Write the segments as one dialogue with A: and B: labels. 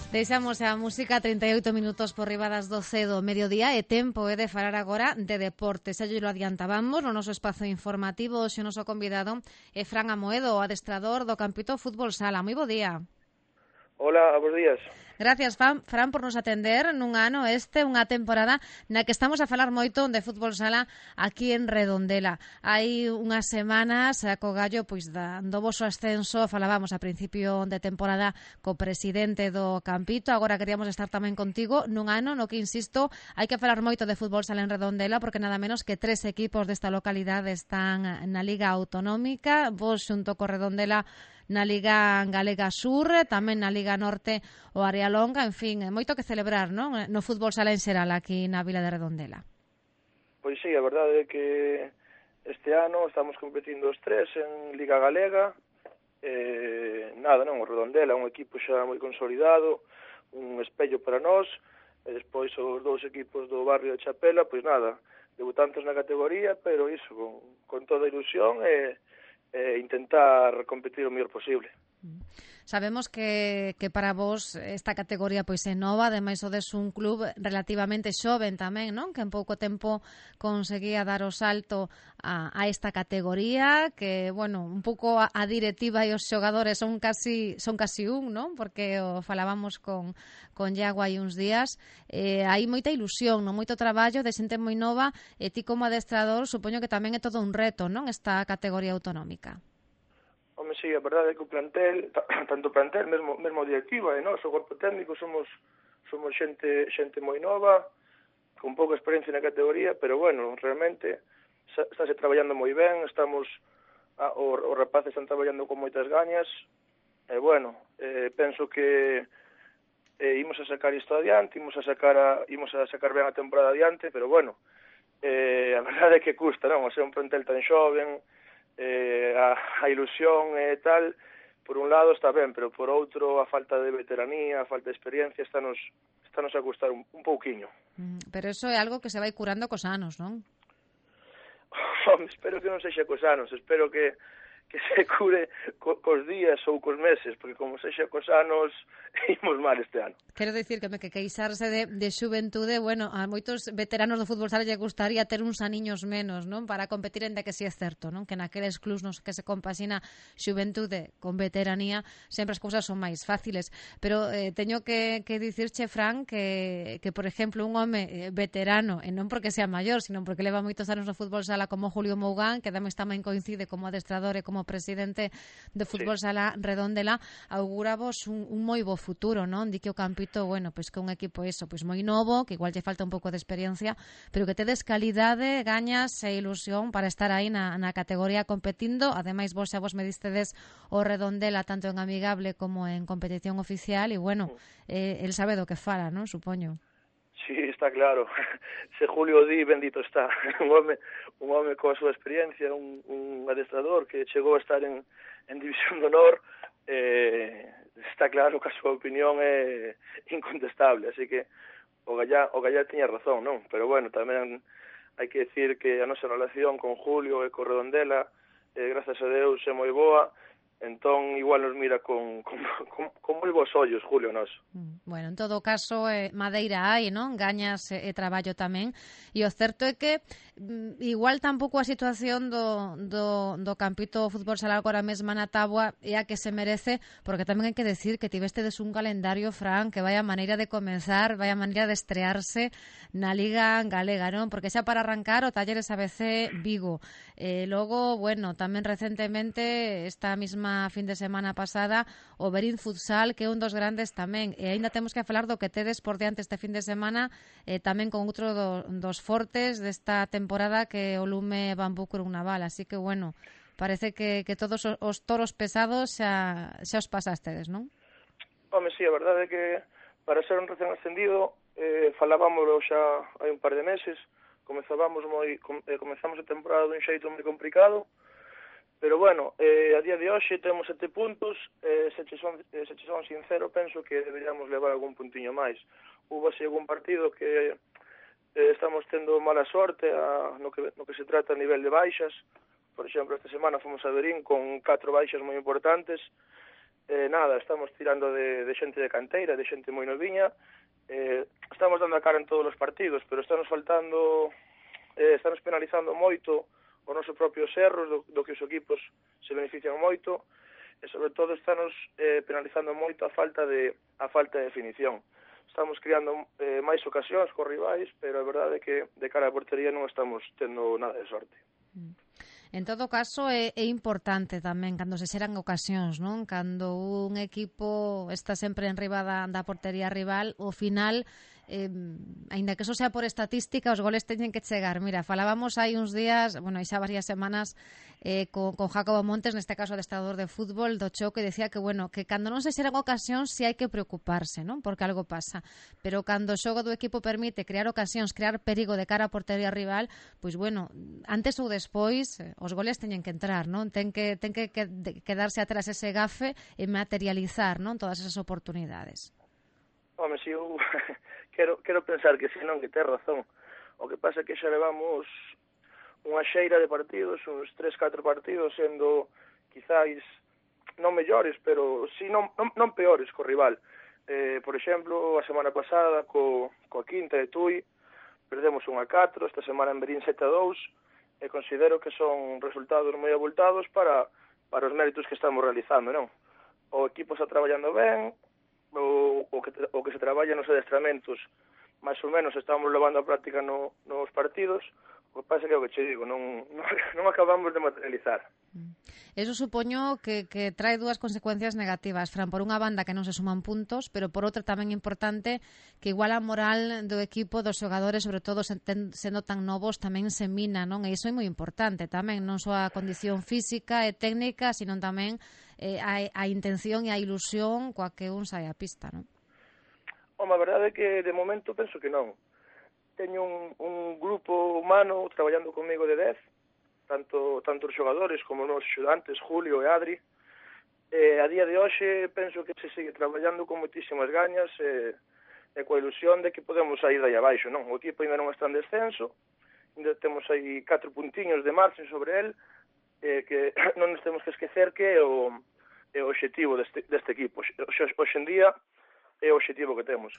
A: Deixamos a música 38 minutos por riba das 12 do mediodía e tempo de falar agora de deportes. Xa lo adiantábamos no noso espazo informativo. Hoxe o noso convidado é Fran Amoedo, o adestrador do Campito Fútbol Sala. Moi bo día.
B: Hola, bons días.
A: Gracias, Fran, por nos atender nun ano unha temporada na que estamos a falar moito de fútbol sala aquí en Redondela. Hai unhas semanas, co gallo do voso ascenso, falábamos a principio de temporada co presidente do Campito. Agora queríamos estar tamén contigo nun ano no que, insisto, hai que falar moito de fútbol sala en Redondela porque nada menos que 3 equipos desta localidade están na Liga Autonómica. Vos xunto co Redondela na Liga Galega Sur, tamén na Liga Norte o Área Longa, en fin, moito que celebrar, non? No fútbol sala en xeral aquí na Vila de Redondela.
B: Pois sí, a verdade é que este ano estamos competindo os 3 en Liga Galega. O Redondela é un equipo xa moi consolidado, un espello para nós, e despois os 2 equipos do barrio de Chapela, pois nada, debutantes na categoría, pero iso, con toda a ilusión e intentar competir o mellor posible.
A: Sabemos que para vos esta categoría pois é nova, ademais sodes un club relativamente xoven tamén, non? Que en pouco tempo conseguía dar o salto a esta categoría, que, bueno, un pouco a directiva e os xogadores son casi un, non? Porque o falábamos con Iago hai uns días. Hai moita ilusión, non? Moito traballo de xente moi nova, e ti como adestrador supoño que tamén é todo un reto, non? Esta categoría autonómica.
B: Home, sí, a verdade é que o plantel, tanto o plantel, mesmo a directiva e nós, o corpo técnico, somos xente moi nova, con pouca experiencia na categoría, pero bueno, realmente estáse traballando moi ben, os rapaces están traballando con moitas gañas, e bueno, penso que imos a sacar isto adiante, imos a sacar ben a temporada adiante, pero bueno, a verdade é que custa, non? O ser un plantel tan xoven, a ilusión e tal, por un lado está ben, pero por outro a falta de veteranía, a falta de experiencia estános a custar un pouquiño.
A: Pero eso é algo que se vai curando cos anos, non?
B: Espero que non sexa cos anos, espero que se cure cos días ou cos meses, porque como sexa cos anos, imos mal este ano.
A: Quero dicir que queixarse de xuventude, bueno, a moitos veteranos do fútbol sala lle gustaría ter uns aniños menos, non? Para competir, en que si é certo, non? Que naqueles clubs nos que se compaxina xuventude con veteranía, sempre as cousas son máis fáciles. Pero teño que dicirche, Fran, que por exemplo, un home veterano, e non porque sea maior, sino porque leva moitos anos no fútbol sala como Julio Mougán, que tamén coincide como adestrador e como presidente de fútbol sala Redondela, augurabos un moi bo futuro, non? Di que o Campito, bueno, pois que un equipo pois moi novo, que igual lle falta un pouco de experiencia, pero que tedes calidade, gañas e ilusión para estar aí na categoría competindo. Ademais, vos me distedes o Redondela tanto en amigable como en competición oficial, e bueno, el sabe do que fala, non? Supoño.
B: Sí, está claro. Se Julio di, bendito está. Un home coa súa experiencia, un adestrador que chegou a estar en División de Honor, está claro que a súa opinión é incontestable, así que o Gallá tiña razón, non? Pero bueno, tamén hai que decir que a nosa relación con Julio e con Redondela, grazas a Deus, é moi boa. Entón, igual nos mira con moi bons ollos, Julio, nos.
A: Bueno, en todo caso, madeira hai, non? Gañas e traballo tamén. E o certo é que igual tampouco a situación do Campito Fútbol Sala agora mesma na táboa é a que se merece, porque tamén hai que decir que tivestedes un calendario, Fran, que vai a maneira de comenzar, vai a maneira de estrearse na Liga Galega, non? Porque xa para arrancar o Talleres ABC Vigo. Logo, bueno, tamén recentemente, esta mesma fin de semana pasada, o Berín Futsal, que é un dos grandes tamén. E aínda temos que falar do que tedes por diante este fin de semana, tamén con outro dos fortes desta temporada, que o Lume Bambú Cruz Naval. Así que, bueno, parece que todos os toros pesados xa os pasastedes, non?
B: Home, sí, a verdade é que para ser un recén ascendido, falábamoslo xa hai un par de meses, comezamos a temporada dun xeito moi complicado, pero bueno, a día de hoxe temos 7 puntos, se che son sincero, penso que deberíamos levar algún puntiño máis. Hubo así algún partido que estamos tendo mala sorte no que se trata a nivel de baixas. Por exemplo, esta semana fomos a Berín con 4 baixas moi importantes, Nada, estamos tirando de xente de canteira, de xente moi noviña, estamos dando a cara en todos os partidos, pero estamos penalizando moito os nosos propios erros, do que os equipos se benefician moito, e sobre todo estamos penalizando moito a falta de definición. Estamos criando máis ocasións cos rivais, pero a verdade é que de cara á portería non estamos tendo nada de sorte.
A: En todo caso, é importante tamén cando se xeran ocasións, non? Cando un equipo está sempre en riba da portería rival, ao final, aínda que eso sea por estatística, os goles teñen que chegar. Mira, falábamos hai uns días, bueno, hai xa varias semanas, con Jacobo Montes, neste caso adestrador de fútbol, do choque, decía que, bueno, que cando non se xeran ocasións si hai que preocuparse, non? Porque algo pasa. Pero cando o xogo do equipo permite crear ocasións, crear perigo de cara á portería rival, pois, bueno, antes ou despois, os goles teñen que entrar, non? Ten que quedarse atrás ese gafe e materializar, non? Todas esas oportunidades.
B: Home, si eu quero pensar que senón que tes razón. O que pasa é que xa levamos unha xeira de partidos, uns 3-4 partidos, sendo quizáis non mellores, pero si non peores co rival. Por exemplo, a semana pasada coa Quinta de Tui perdemos 1-4, esta semana en Berín 7-2, e considero que son resultados moi abultados para os méritos que estamos realizando, non? O equipo está traballando ben, o que se traballa nos adestramentos máis ou menos estamos levando a práctica nos partidos. O que pasa é que o que che digo, non acabamos de materializar.
A: Eso supoño que trae dúas consecuencias negativas, Fran, por unha banda que non se suman puntos, pero por outra tamén importante que igual a moral do equipo, dos xogadores, sobre todo sendo tan novos, tamén se mina, non? E iso é moi importante tamén, non só a condición física e técnica, sino tamén a intención e a ilusión coa que un sai á pista, non?
B: Home, a verdade é que de momento penso que non. Teño un grupo humano traballando comigo de 10, tanto os xogadores como os axudantes, Julio e Adri. A día de hoxe penso que se sigue traballando con moitísimas gañas e coa ilusión de que podemos sair dai abaixo, non? O equipo ainda non está en descenso, ainda temos aí 4 puntiños de margen sobre el, que non nos temos que esquecer que é o obxectivo deste equipo. Hoxe en día é o obxectivo que temos.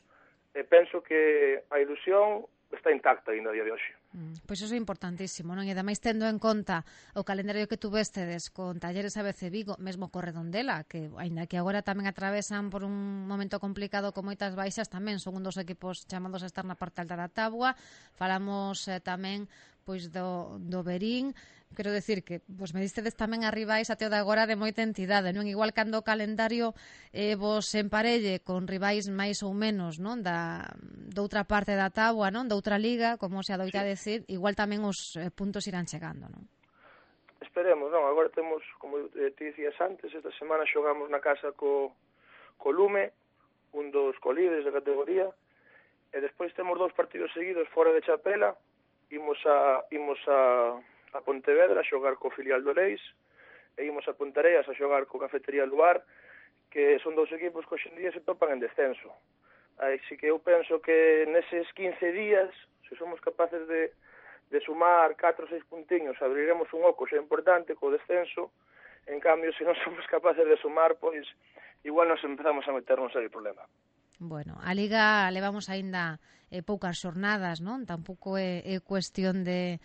B: Penso que a ilusión está intacta ainda a día de hoxe.
A: Pois iso é importantísimo, non? E ademais tendo en conta o calendario que tuvestedes con Talleres ABC Vigo, mesmo co Redondela, que aínda que agora tamén atravesan por un momento complicado con moitas baixas, tamén son un dos equipos chamados a estar na parte alta da táboa. Falamos tamén pois do Berín. Quero decir que vos me distedes tamén a rivais até o de agora de moita entidade, non? Igual cando o calendario vos emparelle con rivais máis ou menos, non? Doutra parte da táboa, non? Doutra liga, como se adoita decir, igual tamén os puntos irán chegando, non?
B: Esperemos, non? Agora temos, como te dicías antes, esta semana xogamos na casa co Lume, un dos colíderes da categoría, e despois temos 2 partidos seguidos fora de Chapela. Imos a Pontevedra a xogar co filial do Leis, e imos a Pontareas a xogar co Cafetería Luar, que son 2 equipos que hoxe en día se topan en descenso. Así que eu penso que neses 15 días, se somos capaces de sumar 4 ou 6 puntiños, abriremos un oco xa importante co descenso. En cambio, se non somos capaces de sumar, pois igual nos empezamos a meternos en el problema.
A: Bueno, a Liga levamos aínda poucas xornadas, non? Tampouco é cuestión de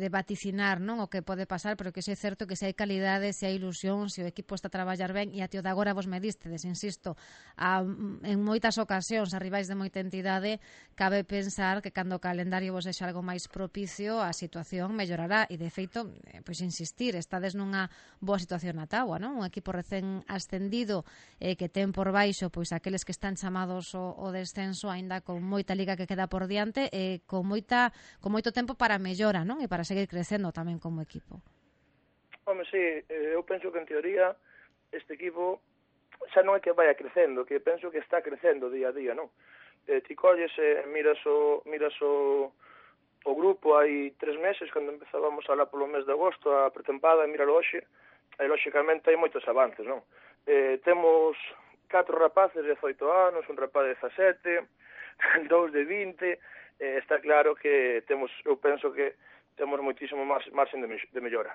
A: vaticinar, non, o que pode pasar, pero que é certo que se hai calidade, se hai ilusión, se o equipo está a traballar ben, e até o de agora vos me distedes, insisto, en moitas ocasións a rivais de moita entidade, cabe pensar que cando o calendario vos deixa algo máis propicio, a situación mellorará, e de feito, pois insistir, estades nunha boa situación na táboa, non? Un equipo recén ascendido que ten por baixo pois aqueles que están chamados o descenso, aínda con moita liga que queda por diante, e con moito tempo para mellora, non? E para seguir crecendo tamén como equipo.
B: Home, sí, eu penso que en teoría este equipo xa non é que vaya crecendo, que penso que está crecendo día a día, non? Ti colles e miras o grupo hai 3 meses, cando empezábamos a falar polo mes de agosto, a pretempada, e míralo hoxe, e lóxicamente hai moitos avances, non? Temos 4 rapaces de 18 anos, un rapaz de 17, 2 de 20, está claro que eu penso que temos moitísimo marxen de mellora.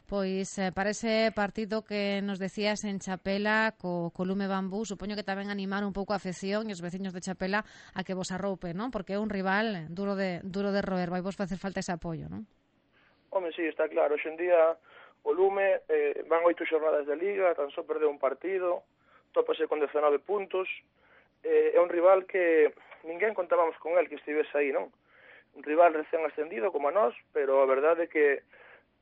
A: Pois para ese partido que nos decías en Chapela co Lume Bambú, supoño que tamén animar un pouco a afección e os veciños de Chapela a que vos arroupe, non? Porque é un rival duro de roer, vai vos facer falta ese apoio, non?
B: Home, sí, está claro. Hoxe en día o Lume van 8 xornadas de Liga, tan só perdeu un partido, tópase con 19 puntos. É un rival que ninguén contábamos con el que estivese aí, non? Un rival recén ascendido como a nós, pero a verdade é que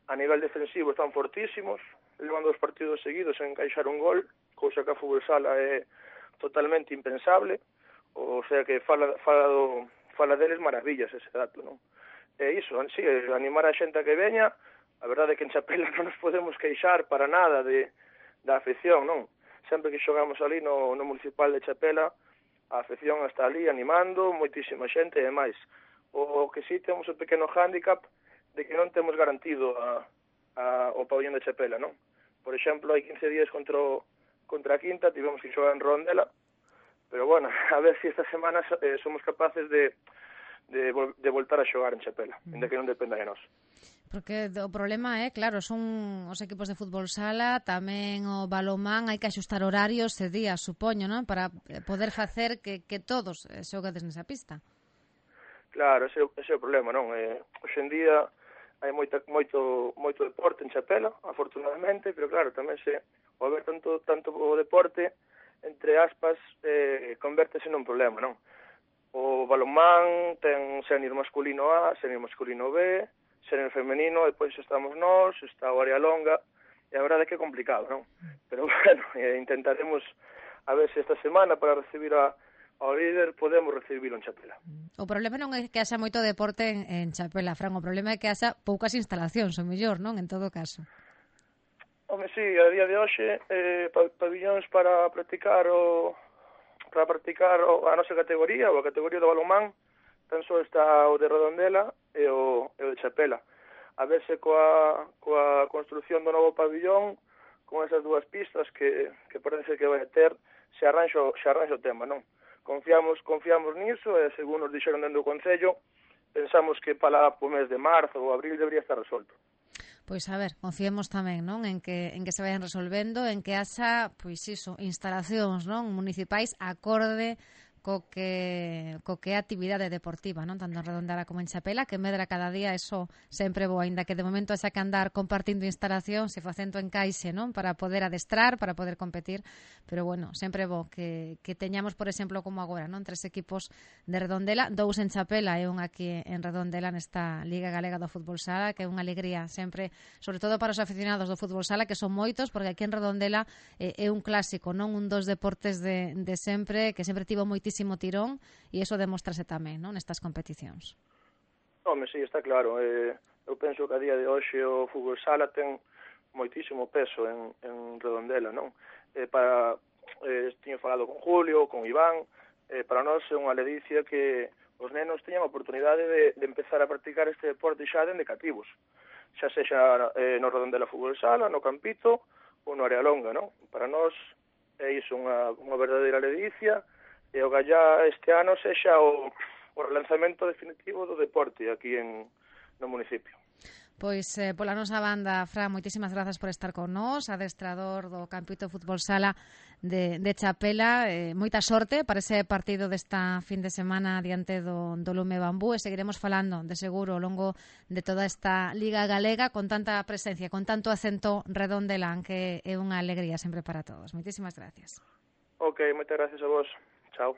B: a nivel defensivo están fortísimos, levan 2 partidos seguidos en encaixar un gol, cousa que a fútbol sala é totalmente impensable, o sea que fala deles maravillas ese dato, non? E iso, sí, animar a xente a que veña. A verdade é que en Chapela non nos podemos queixar para nada da afección, non? Sempre que xogamos ali no municipal de Chapela, a afección está ali animando, moitísima xente e máis. O que sí temos un pequeno hándicap de que non temos garantido o pabellón de Chapela, non? Por exemplo, hai 15 días contra a Quinta tivemos que xogar en Redondela, pero bueno, a ver se esta semana somos capaces de voltar a xogar en Chapela, ainda que non dependa de nós.
A: Porque o problema é, claro, son os equipos de fútbol sala, tamén o balonmán, hai que axustar horarios e días, supoño, non? Para poder facer que todos xogades nesa pista.
B: Claro, ese é o problema, non? Hoxe en día hai moito deporte en Chapela, afortunadamente, pero claro, tamén ao haber tanto o deporte, entre aspas, convértese nun problema, non? O balonmán ten sénior masculino A, sénior masculino B, sénior femenino, depois estamos nós, está o área longa, e a verdade é que é complicado, non? Pero bueno, intentaremos a ver se esta semana para recibir ao líder podemos recibirlo en Chapela.
A: O problema non é que haxa moito deporte en Chapela, Fran, o problema é que haxa poucas instalacións, o mellor, non? En todo caso.
B: Home, sí, a día de hoxe, pabillóns para practicar a nosa categoría, ou a categoría do balonmán, tan só está o de Redondela e o de Chapela. A ver se coa construción do novo pabillón, con esas 2 pistas que parece que vai ter, se arranxa o tema, non? Confiamos niso e, según nos dixeron dentro do Concello, pensamos que para o mes de marzo ou abril debería estar resolto.
A: Pois a ver, confiemos tamén, non, en que se vayan resolvendo, en que haxa, pois iso, instalacións, non, municipais acorde co que é actividade deportiva, non, tanto en Redondela como en Chapela, que medra cada día, eso sempre bo, aínda que de momento haxa que andar compartindo instalacións e facendo encaixe, non, para poder adestrar, para poder competir, pero bueno, sempre bo que teñamos, por exemplo, como agora, non, 3 equipos de Redondela, 2 en Chapela e un aquí en Redondela nesta Liga Galega do Fútbol Sala, que é unha alegría sempre, sobre todo para os aficionados do fútbol sala, que son moitos, porque aquí en Redondela é un clásico, non, un dos deportes de sempre, que sempre tivo moitísimo tirón, e iso demostrase tamén, non, nestas competicións.
B: Home, sí, está claro. Eu penso que a día de hoxe o fútbol sala ten moitísimo peso en Redondela, non? Tiño falado con Julio, con Iván, para nós é unha ledicia que os nenos teñan a oportunidade de empezar a practicar este deporte xa dende cativos, xa sexa no Redondela fútbol sala, no Campito ou no área longa, non? Para nós é iso unha verdadeira ledicia, e o gallá este ano sexa o relanzamento definitivo do deporte aquí no municipio.
A: Pois pola nosa banda, Fran, moitísimas grazas por estar con nós, adestrador do Campito Fútbol Sala de Chapela, moita sorte para ese partido desta fin de semana diante do Lume Bambú, e seguiremos falando de seguro ao longo de toda esta Liga Galega con tanta presencia, con tanto acento redondelán, que é unha alegría sempre para todos. Moitísimas gracias.
B: Ok, moitas gracias a vos.